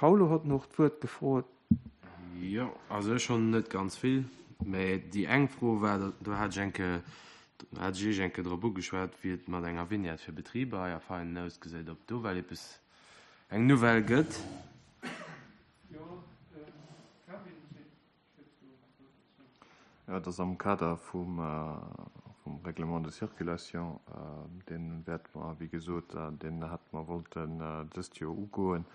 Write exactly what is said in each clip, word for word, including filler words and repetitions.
Paulo hott noch d'Wuert gefrot. Jo, also ech hunn net ganz vill, mä déi eng Fro war, do hat ech eng Kéier, do hat ech Iech eng Kéier drop ugeschwat, wéi et mat enger Vignette fir Betriber hei a Veinen ausgesäit, ob do well eppes eng Nouvelle gëtt. Jo, Kevin seet do nach wat dozou. Jo, et ass am Kader vum Règlement de circulation, dee wäerte mer, wéi gesot, deen hätte mer wollten dëst Joer ugoen.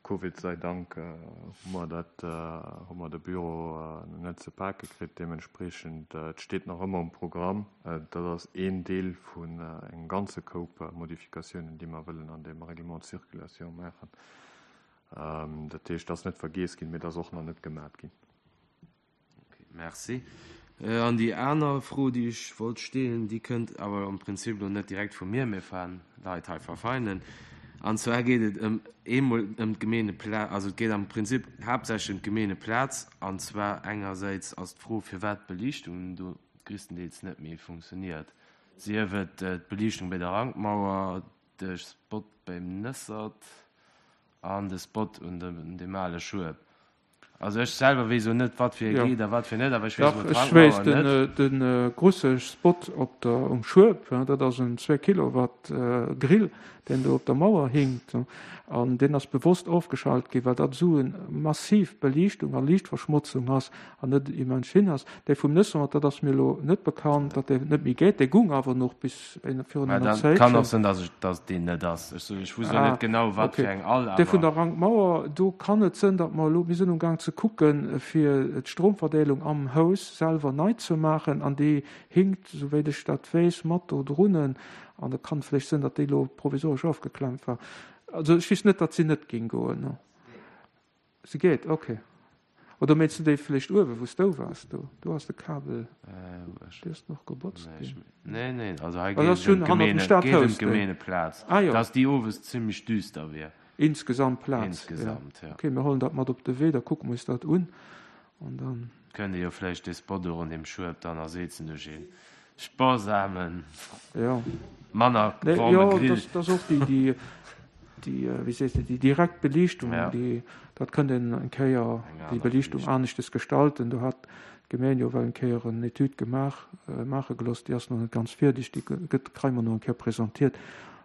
Covid sei Dank hu mer dat, hu mer de Büro net ze pake kritt. Deementspreechend, et steet nach ëmmer um Programm. Dat ass een Deel vun engem ganze Koup Modifikatiounen, déi mer wëllen an deem Règlement de circulation maachen. Dat heescht, et ass net vergiess ginn, mee et ass och nach net gemat ginn. Okay, merci. An déi aner Fro, déi ech wollt stellen, déi kënnt awer am Prinzip elo net direkt vu mir, mee van Leit hei va Veinen. An zwar geet et ëm eemol ëm d'Gemeenepla-, also et geet am Prinzip haaptsächlech ëm d'Gemeeneplaz. An zwar engersäits ass d'Fro, firwat d'Beliichtung do gréisstendeels net méi funktioniert, sief et d'Beliichtung bei der Rankmauer, de Spot beim Nëssert an de Spot un dem ale Schueb. Also ech selwer weess elo net, wat fir e geet a wat fir net, awer ech weess emol d'Rankmauer net. Dach, ech weess, de grusse Spot op der, um Schueb, dat ass en zwee Kilowatt Grill, deen do op der Mauer hinkt. An deen ass bewosst ofgeschalt ginn, well dat esou eng massiv Beliichtung a Liichtverschmotzung ass an net immens schin ass. Dee vum Nëssert, dat ass mir elo net bekannt, datt dee net méi geet. Dee gung awer nach bis virun enger Zäitchen. Kann och sinn, datt et deen net ass. Ech wusst elo net genau, wat fir eng all, awer. Dee vun der Rankmauer, do kann et sënn, datt mer elo, mir sinn umgaang ze kucken, fir d'Stromverdeelung am Haus selwer nei ze maachen, an déi hinkt, souwéit ech dat weess, mat do drunnen. An et kann vläicht sënn, datt déi elo provisoresch ofgeklemmt war. Also ech weess net, datt si net géing goen. Se geet, okay. Oder mengs du déi vläicht uewen, wou s du waars? Do, do ass de Kabel, dee ass nach gebotzt ginn. Nee, nee, also hei geet et ëm d'Gemeen, d'Gemeeneplaz, dass déi owes zimmlech düster wier. Insgesamt Plaz, Insgesamt, ja. Okay, mir huelen dat mat op de Wee, da kucke mer eis dat un an dann. Kënnt Dir jo vläicht dee Spot do ronderëm Schueb dann ersetzen duerch ee sparsamen, manner warme Grill. Jo, dat ass och déi, déi, déi, wéi sees de, déi direkt Beliichtung, déi, dat kënnt een eng Kéier, déi Beliichtung aneschtes gestalten. Do hat d'Gemeng jo well eng Kéier en Etüd gemaach, maache gelooss, déi ass nach net ganz fierdeg, déi gëtt, kréie mer nach eng Kéier presentiert.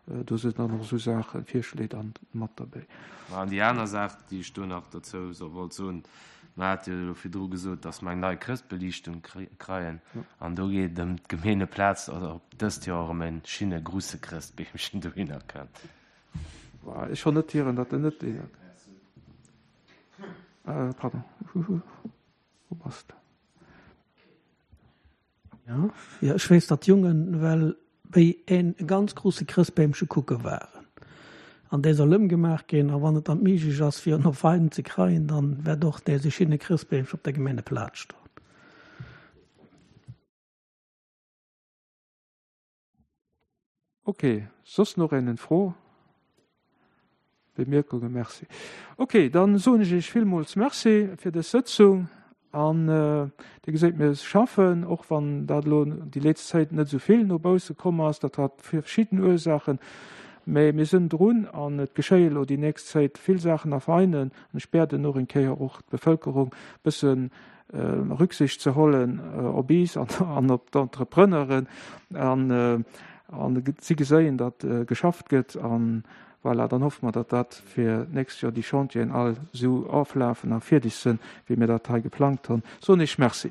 Do sinn dann och esou Saachen, Virschléi dann mat derbäi. An déi aner Saach, déi ech do nach dozou wollt soen, mer hate jo elo virdru gesot, datt mer eng nei Chrëschtbeliichtung kreien. An do geet et ëm d'Gemeeneplaz, ob dëst Joer erëm e schinne grusse Chrëstbeemchen dohinner kënnt. Ech honn net hieren, datt en net dohinner kënnt. Pardon, wou bass de? Jo, ech weess, datt d'Jongen well béi een ganz grusse Chrëstbeemche kucke waren. An dee soll ëmgemaach ginn, a wann et dann méiglech ass, fir en op Veinen ze kreien, dann wäert och dee schinne Chrëstbeemche op der Gemeeneplaz stoen. Ok, soss nach een en Fro? Bemierkungen? Merci. Ok, dann soen ech Iech villmools Merci fir dës Sëtzung. An Dir geséit, mir schaffen, och wann dat elo déi létzt Zäit net esou vill no bausse komm ass. Dat hat verschidden Ursaachen, mä mir sinn drun an et geschéie elo déi nächst Zäit vill Saachen a Veinen. An ech bieden och eng Kéier och d'Bevölkerung bësse Rücksicht ze hollen op is an op d'Entrepreneuren an si geséien, datt geschafft gëtt. An voilà, dann hoffe mer, datt dat fir d'nächst Joer déi Chantieren all esou oflafen a fierdeg sinn, wéi mir dat hei geplangt hunn. Soen ech Merci.